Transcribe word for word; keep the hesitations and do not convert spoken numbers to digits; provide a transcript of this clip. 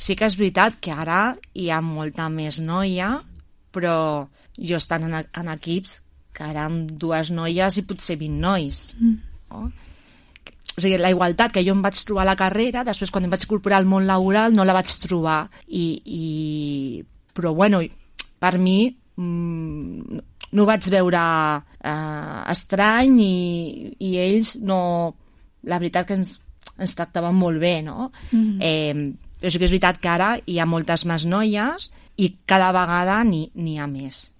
Sí que és veritat que ara hi ha molta més noia, però jo estant en, en equips que érem dues noies i potser vint nois. Mm. No? O sigui, la igualtat que jo em vaig trobar a la carrera, després quan em vaig incorporar al món laboral no la vaig trobar. I, i... Però bueno, per mi mmm, no ho vaig veure eh, estrany i, i ells no... La veritat que ens, ens tractaven molt bé, no? Mm. Eh, però sí que és veritat que ara hi ha moltes més noies i cada vegada n'hi ha més.